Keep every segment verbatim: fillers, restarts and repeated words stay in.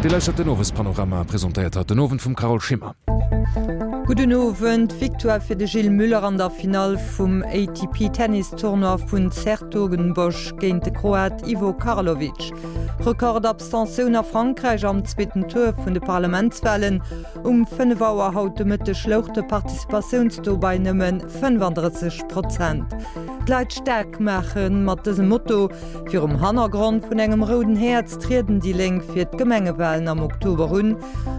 Dir lauschtert den Owespanorama, presentéiert haut den Owend vum Carole Schimmer. Gudden Owend. Victoire fir de Gilles Muller an der Finall vum A T P Tennis-Tournoi vun 's-Hertogenbosch géint de Kroat Ivo Karlovic. Rekord-Abstentioun a Frankräich am zweeten Tour vun de Parlamentswalen. Um fënnef Auer haut de Mëtteg louch de Participatiounstaux bei nëmme fënnefandrësseg Prozent. D'Leit staark maachen, mat dësem Motto virum Hannergrond vun engem rouden Häerz trieden déi Lénk fir d'Gemengewalen am Oktober un.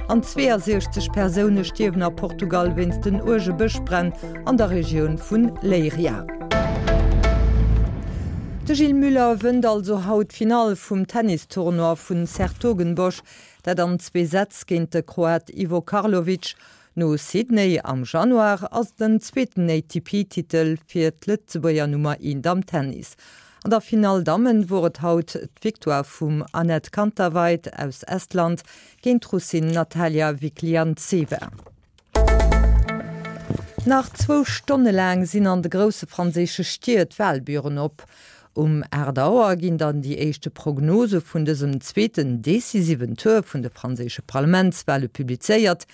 An zweeënsiechzeg Persoune stierwen a Portugal wéinst den uerge Bëschbränn an der Regioun vun Leiria. De Gilles Muller wënnt also haut d'Finall vum Tennistournoi vun 's-Hertogenbosch, dat an zwee Sätz géint de Kroat Ivo Karlovic. No Sydney am Januar ass den zweeten A T P-Titel fir d'Lëtzebuerger Nummer eent am Tennis. An der Finall Dammen wor et haut d'Victoire vum Anett Kontaveit aus Estland géint d'Russin Natalia Vikliantseva. Nach zwou Stonne laang sinn an de grousse franséische Stied Walbüren op. Um aacht Auer ginn dann déi éischte Prognose vun dësem zweeten decisiven Tour vun de franséische Parlamentswale publizéiert.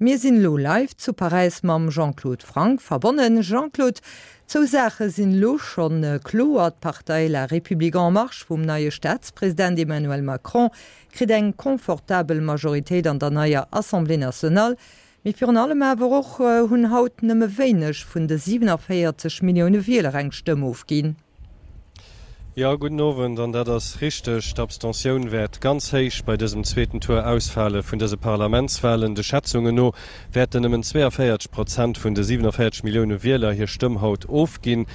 Mir sinn elo live zu Paräis mam Jean-Claude Franck verbonnen. Jean-Claude, zwou Saache sinn elo schonn kloer. D'Partei La République En Marche vum neie Staatspresident Emmanuel Macron kritt eng confortabel Majoritéit an der neier Assemblée nationale. Mee virun allem awer och hunn haut nëmme wéineg vun de siewenundvierzig Millioune Wieler eng Stëmm ofginn. Ja, guten Owend, an dat ass richteg. D'Abstentioun wäert ganz héich bei dësem zweeten Tour ausfale vun dëse Parlamentswalen. De Schätzungen no wäerten nëmmen zweiundvierzig Prozent vun de siewenundvierzig Millioune Wieler hir Stëmm haut ofginn.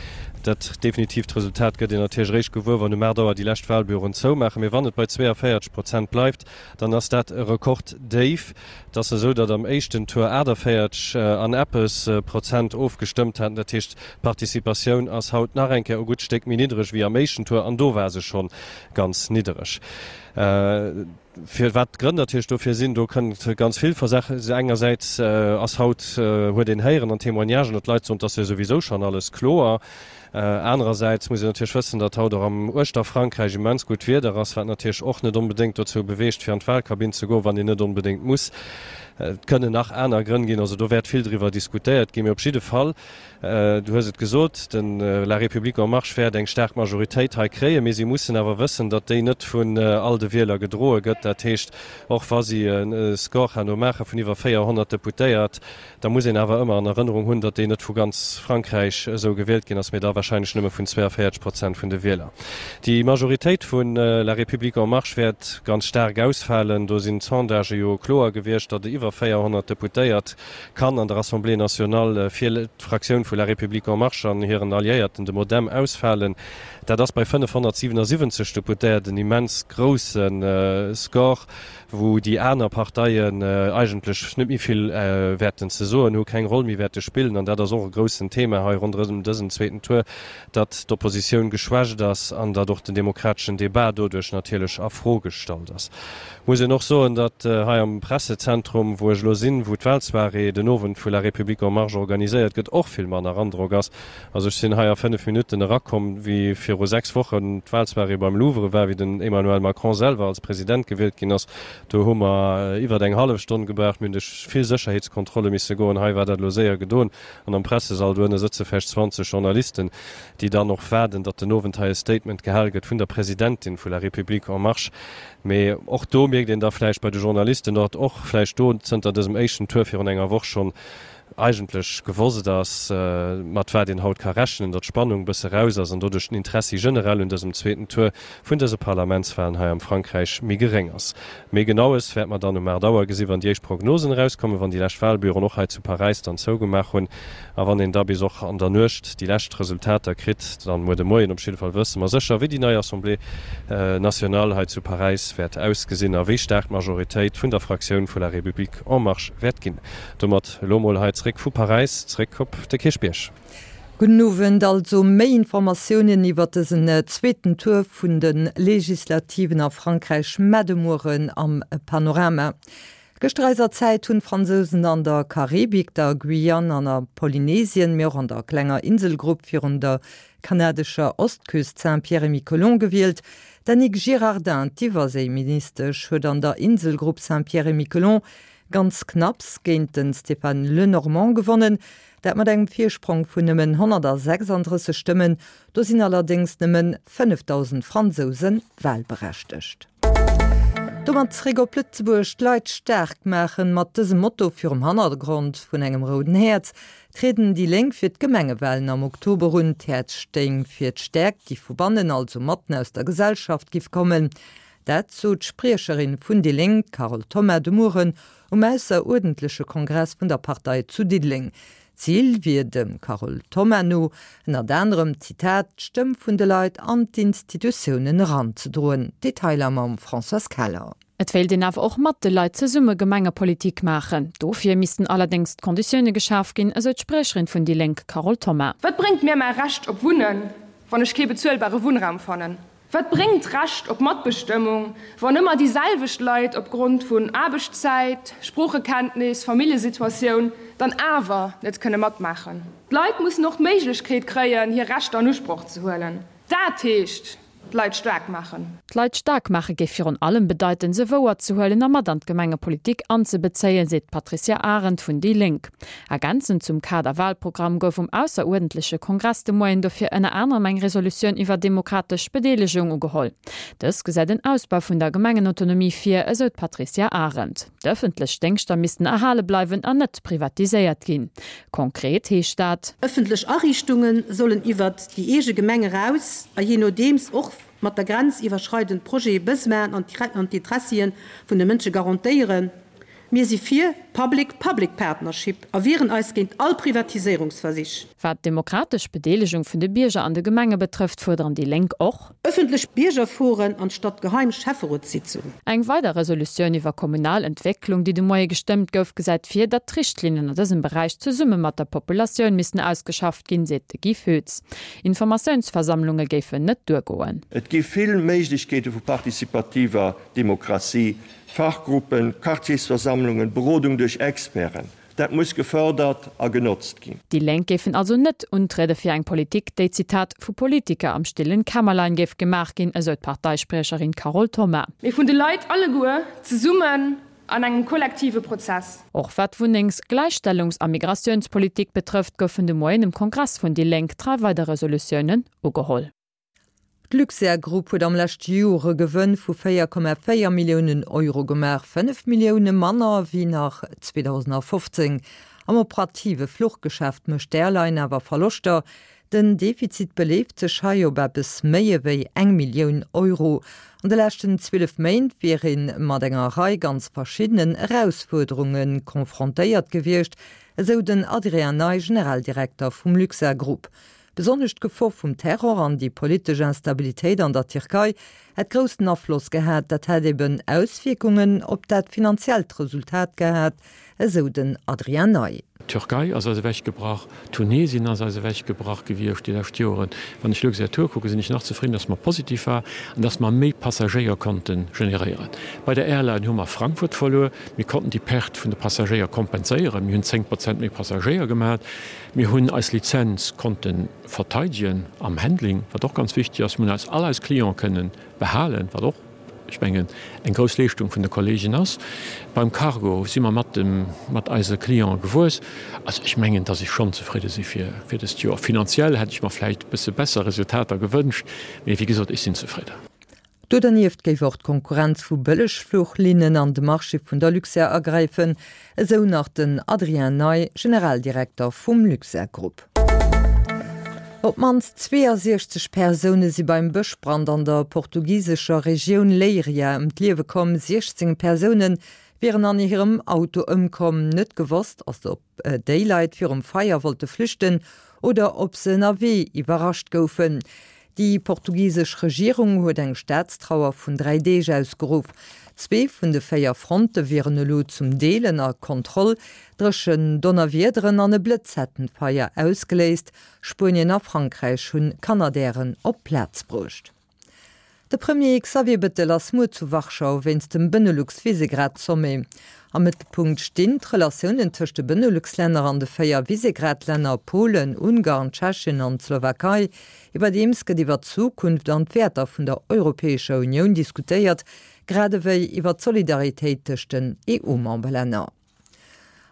Dat definitiivt Resultat gëtt een natierlech eréischt gewuer, wann um aacht Auer déi lescht Walbüroen zoumaachen. Mee wann et bei zweiundvierzig Prozent bleift, dann ass dat e Rekorddéif. Dat ass esou, datt am éischten Tour achtundvierzig an eppes Prozent ofgestëmmt haten. Dat heescht, d'Participatioun ass haut nach eng Kéier e gutt Stéck méi niddreg wéi am éischten Tour, an do war se schon ganz niddreg. Äh, fir wat d'Grënn natierlech dofir sinn, do kënnt ganz vill Versachen. Engersäits, äh, ass haut, äh, huet een héieren an Témoignagen, datt d'Leit soen, dass ja sowieso schon alles kloer. Äh, andererseits muss ich natierlech wëssen, datt haut och am Uechter Frankräich immens gutt Wieder ass, wat natierlech och net unbedingt dozou beweegt, fir an d'Wahlkabinn ze goen, wann een net unbedingt muss. Äh, et kënnen nach aner Grënn ginn, also do wäert vill driwwer diskutéiert ginn, mee op jidde Fall, äh, du hues et gesot, den, äh, La République En Marche wäert eng staark Majoritéit hei kréien, mee si mussen awer wëssen, datt déi net vun, äh, all de Wieler gedroe gëtt. Dat heescht, och wa si en, äh, Score herno maache vun iwwer véierhonnert Deputéiert, da muss een awer ëmmer an Erënnerung hunn, datt déi net vu ganz Frankräich esou gewielt ginn ass, mee da wahrscheinlech nëmme vun zweiundvierzig Prozent vun de Wieler. Déi Majoritéit vun, äh, La République En Marche wäert ganz staark ausfalen. Do sinn d'Sondagë jo kloer gewiescht, datt iwwer véierhonnert Deputéiert kann an der Assemblée nationale fir d'Fraktioun vu La République En Marche an hiren Alliéierten de Modem ausfalen. Dat ass bei fënnefhonnertsiewenundsiebzig Deputéiert en immens groussen, äh, Score, wou déi aner Parteien, äh, eigentlech net méi vill, äh, wäerten ze soen hu, keng Roll méi wäerte spillen. An dat ass och e groussen Thema hei ronderëm dësen zweeten Tour, datt d'Oppositioun geschwächt ass an datt och den demokrateschen Debat doduerch natierlech a Fro gestallt ass. Muss een och soen, datt, äh, hei am Pressezentrum, wou ech elo sinn, wou d'Wahlsoirée den Owend vu La République En Marche organiséiert gëtt, och vill manner Androck ass. Also ech sinn hei a fënnef Minutten erakomm, wéi viru sechs Wochen d'Wahlsoirée beim Louvre war, wéi den Emmanuel Macron selwer als President gewielt ginn ass. Do hu mer iwwer eng hallef Stonn gebraucht, mir hunn duerch vill Sécherheetskontrolle misse goen. Hei war dat elo séier gedoen. An am Pressesall do ënne sëtze vläicht zwanzeg Journalisten, déi dann och waarden, datt den Owend hei e Statement gehal gëtt vun der Presidentin vu La République En Marche. Mee och do mierkt een da vläicht bei de Journalisten, datt och vläicht do zënter dësem éischten Tour virun enger Woch schonn eigentlech gewosst ass, äh, mat wat een haut ka rechnen, datt d'Spannung bësse raus ass an doduerch den Interessi generell un dësem zweeten Tour vun dëse Parlamentswahlen hei am Frankräich méi geréng ass. Méi Genaues wäert man dann um aacht Auer gesinn, wann déi éischt Prognosen rauskommen, wann déi lescht Wahlbüroen och hei zu Paräis dann zougemaach hunn a wann een da bis och an der Nuecht déi lescht Resultater kritt, dann muer de Moien op jidde Fall wësse mer sécher, wéi déi nei Assemblée, äh, nationale hei zu Paräis wäert ausgesinn a wéi staark d'Majoritéit vun der Fraktioun vu La République En Marche wäert ginn. Domat elo mol hei zréck vu Paräis, zréck op de Kierchbierg. Gudden Owend, also méi Informatiounen iwwer dësen zweeten Tour vun de Legislativen a Frankräich muer de Mueren am Panorama. Gëschter eiser Zäit hunn d'Fransousen an der Karibik, der Guyane an der Polynesien, mee och an der klenger Inselgrupp virun der kanadescher Ostküst Saint-Pierre-et-Miquelon gewielt. D'Annick Girardin, d'Iwwerséiministesch, huet an der Inselgrupp Saint-Pierre-et-Miquelon ganz knapps géint de Stéphane Le Normand gewonnen, dat mat engem Virsprong vun nëmmen honnertsechsanddrësseg Stëmmen, do sinn allerdéngs nëmmen fënnefdausend Fransouse walberechtegt. Domat zréck op Lëtzebuerg, D'Leit staark maachen, mat dësem Motto virum Hannergrond vun engem rouden Häerz trieden déi Lénk fir d'Gemengewalen am Oktober un. D'Häerz stéing fir d'Stäerkt, déi vu bannen, also matten aus der Gesellschaft, giff kommen. Dat sot d'Spriecherin vun déi Lénk, d'Carole Thoma, de Mueren um ausseruerdentleche Kongress vun der Partei zu Diddeleng. Zil wier dem Carole Thoma no ënnert anerem, Zitat, d'Stëmm vun de Leit an d'Institutiounen eranzedroen. Detailer mam Françoise Keller. Et wéilt een awer och mat de Leit zesumme Gemengepolitik maachen. Dofir missten allerdéngs d'Konditioune geschaf ginn, esou d'Spriecherin vun déi Lénk Carole Thoma. Wat bréngt mir mäi Recht op Wunnen, wann ech kee bezuelbare Wunnraum fannen? Wat bréngt d'Recht op Matbestëmmung, wann ëmmer déi selwecht Leit opgrond vun Aarbechtszäit, Sproochekenntnis, Familljesituatioun dann awer net kënne matmaachen? D'Leit mussen och d'Méiglechkeet kréien, hir Rechter an Usproch ze huelen. Dat heescht, d'Leit staark maachen. D'Leit staark maache géif virun allem bedeiten, se wouer ze huelen a mat an d'Gemengepolitik anzebezéien, seet d'Patricia Arendt vun déi Lénk. Ergänzend zum Kader-Walprogramm gouf um ausseruerdentleche Kongress de Moien dofir ënner anerem eng Resolutioun iwwer demokratesch Bedeelegung ugeholl. Dës gesäit en Ausbau vun der Gemengenautonomie vir, esou d'Patricia Arendt. D'ëffentlech Déngschter missten erhale bleiwen an net privatiséiert ginn. Konkret heescht dat. Ëffentlech Ariichtunge sollen iwwert déi eege Gemeng eraus a jee nodeems och mat der Grenz iwwerschreidend Projete Besoinen an d'Interessien vun de Mënsche garantéieren. Mir si fir Public-Public Partnership a wieren eis géint all Privatiséierungsversich. Wat d'demokratesch Bedeelegung vun de Bierger an de Gemenge betrëfft, fuerderen déi Lénk och. Ëffentlech Biergerforen anstatt geheim Schäfferotssitzungen. Eng weider Resolutioun iwwer kommunal Entwécklung, déi de Moie gestëmmt gouf, gesäit vir, datt d'Richtlinnen an dësem Beräich zesumme mat der Populatioun missten ausgeschafft ginn, seet de Guy Foetz. Informatiounsversammlunge géifen net duergoen. Et gi vill Méiglechkeete vu partizipativer Demokratie, Fachgruppen, Quartiersversammlungen, Berodung duerch Experten. Dat muss gefërdert a genotzt ginn. Déi Lénk géifen also net untriede fir eng Politik, déi, Zitat, vu Politiker am stillen Kämmerlein géif gemaach ginn, esou d'Parteispriecherin Carole Thoma. Mee vun de Leit alleguer, zesummen, an engem kollektive Prozess. Och wat d'Wunnengs-, Gläichstellungs a Migratiounspolitik betrëfft, goufen de Moien um Kongress vun déi Lénk dräi weider Resolutiounen ugeholl. D'Luxair Group huet am leschte Joer e Gewënn vu véier Komma véier Milliounen Euro gemaach, fënnef Millioune manner wéi nach zweedausendfofzéng. Am operative Fluchgeschäft mécht d'Airline awer Verloschter. Den Defizit beleeft sech hei op eppes méi ewéi eng Millioun Euro. An de leschten zwielef Méint wier ee mat enger Rei ganz verschiddenen Erausfuerderunge konfrontéiert gewiescht, esou den Adrien Ney, Generaldirekter vum Luxair Group. Besonnesch d'Gefor vum Terror an déi politesch Instabilitéit an der Tierkei hätt groussen Afloss gehat. Dat hätt eben Auswierkungen op dat finanziellt Resultat gehat, esou den Adrien Ney. D'Türkei ass eis ewechgebrach, Tunesien ass eis ewechgebrach gewiescht déi lescht Joren. Wann ech Luxair Tour kucken, sinn ech nach zefridden, dass mer positiv war an dass mer méi Passagéier konnte generéieren. Bei der Airline hu mer Frankfurt verluer. Mir konnten déi Perte vun de Passagéier kompenséieren. Mir hunn zéng Prozent méi Passagéier gemat. Mir hunn eis Lizenz konnte verteidegen am Handling, wat och ganz wichteg ass. Mir hunn eis all eis Cliente kënnen behalen, wat och, ech mengen, eng grouss Leeschtung vun de Kollegen ass. Beim Cargo si mer mat dem, mat eise Cliente gewuess. Also ech mengen, dass ech schonn zefridde si fir, fir dëst Joer. Finanziell hätt ech mer vläicht e bësse besser Resultater gewënscht, mee wéi gesot, ech sinn zefridden. Do dernieft géif och d'Konkurrenz vu Bëllegfluchlinnen an de Marché vun der Luxair agräifen, esou nach den Adrien Ney, Generaldirekter vum Luxair Group. Op d'mannst zweeënsiechzeg Persoune si beim Bëschbrand an der portugisescher Regioun Leiria ëm d'Liewe komm. siechzéng Persoune wieren an hirem Auto ëmkomm. Net gewosst ass, ob déi Leit virum Feier wollte flüchten oder ob se ënnerwee iwwerrascht goufen. Déi portugisesch Regierung huet eng Staatstrauer vun dräi Deeg ausgeruff. Zwee vun de véier Fronte wieren elo zum Deel ënner Kontroll. Dréchen Donnerwiederen an e Blëtz hätten d'Feier ausgeléist. Spuenien a Frankräich hunn Canadairen op d'Plaz bruecht. De Premier Xavier Bettel ass muer zu Warschau wéinst dem Benelux-Visegrad-Sommet. Am Mëttelpunkt stinn d'Relatiounen tëscht de Benelux-Länner an de véier Visegrad-Länner Polen, Ungarn, Tschechien an d'Slowakei. Iwwerdeems gëtt iwwer d'Zukunft an d'Wäerter vun der Europäescher Unioun diskutéiert, grad ewéi iwwer d'Solidaritéit tëscht den EU-Memberlänner.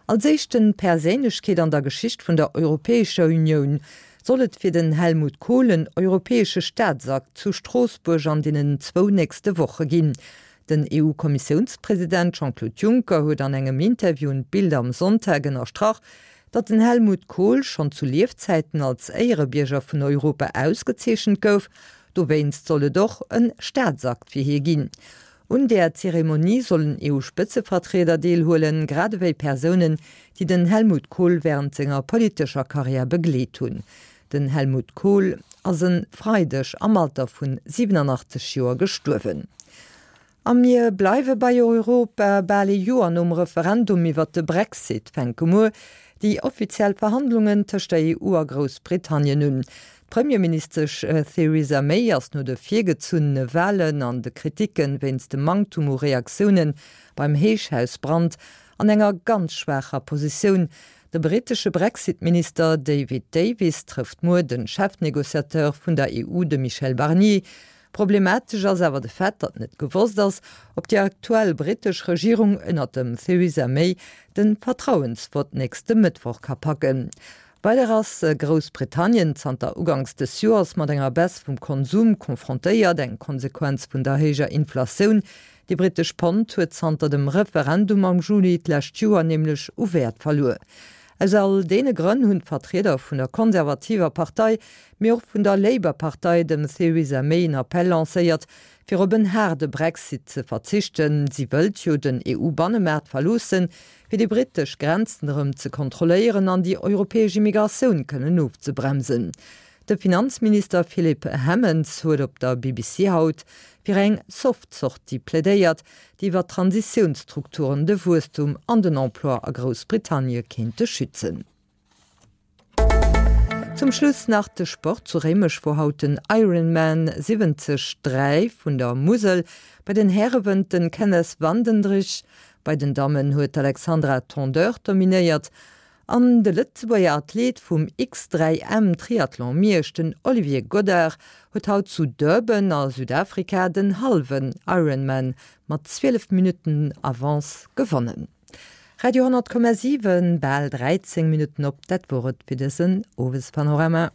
Als éischten Perséinlechkeet an der Geschicht vun der Europäescher Unioun soll et fir den Helmut Kohl en europäesche Staatsakt zu Stroossbuerg an deenen zwou nächste Woche ginn. Den EU-Kommissiounspresident Jean-Claude Juncker huet an engem Interview un d'Bild am Sonntag ënnerstrach, datt den Helmut Kohl schonn zu Liefzäiten als Éierebierger vun Europa ausgezeechent gouf, dowéinst soll et och e Staatsakt fir hie ginn. Un där Zeremonie sollen EU-Spëtzevertrieder deelhuelen, grad ewéi Persounen, déi den Helmut Kohl wärend senger politescher Karriär begleet hunn. Den Helmut Kohl ass e Freideg am Alter vun siwenanachtzeg Joer gestuerwen. A mir bleiwe bei Europa, Bal ee Joer nom Referendum iwwert de Brexit fänke muer déi offiziell Verhandlungen tëscht der E U a Groussbritannien un. D'Premierministesch Theresa May ass no de virgezunnene Walen an de Kriticke wéinst dem Manktum u Reaktioune beim Héichhausbrand an enger ganz schwaacher Positioun. De brittesche Brexit-Minister David Davis trëfft muer de Chefnegociateur vun der E U, de Michel Barnier. Problematesch ass awer de Fait, datt net gewosst ass, ob déi aktuell brittesch Regierung ënnert dem Theresa May de Vertrauensvott nächste Mëttwoch ka packen. Weider ass Groussbritannien zanter uganks des Joers mat enger Baisse vum Konsum konfrontéiert, eng Konsequenz vun der héijer Inflatioun. Déi brittesch Pond huet zanter dem Referendum am Juli d'lescht Joer nämlech u Wäert verluer. Aus all deene Grënn hunn d'Vertrieder vun der konservativer Partei, mee och vun der Labour-Partei dem Theresa May en Appell lancéiert, fir op en haarde Brexit ze verzichten. Si wëllt jo den E U-Bannemaart verloossen, fir déi brittesch Grenzen erëm ze kontrolléieren an déi europäesch Immigratioun kënnen ofzebremsen. De Finanzminister Philip Hammond huet op der B B C haut fir eng soft Sortie plädéiert, déi iwwer Transitiounsstrukturen de Wuesstum an den Emploi a Groussbritannie kéinte schützen. Zum Schluss nach de Sport, Zu Réimech wor haut den Ironman siwwenzeg dräi vun der Musel. Bei den Häre wënnt den Kenneth Vandendriessche, bei den Dammen huet d'Alexandra Tondeur dominéiert. An de Lëtzebuerger Athlet vum X dräi M Triathlon Miersch, den Olivier Godard, huet haut zu Durban a Südafrika den hallwen Ironman mat zwielef Minutten Avance gewonnen. Radio honnert Komma siwen, bal dräizéng Minutten op, dat wor et fir dësen Owespanorama.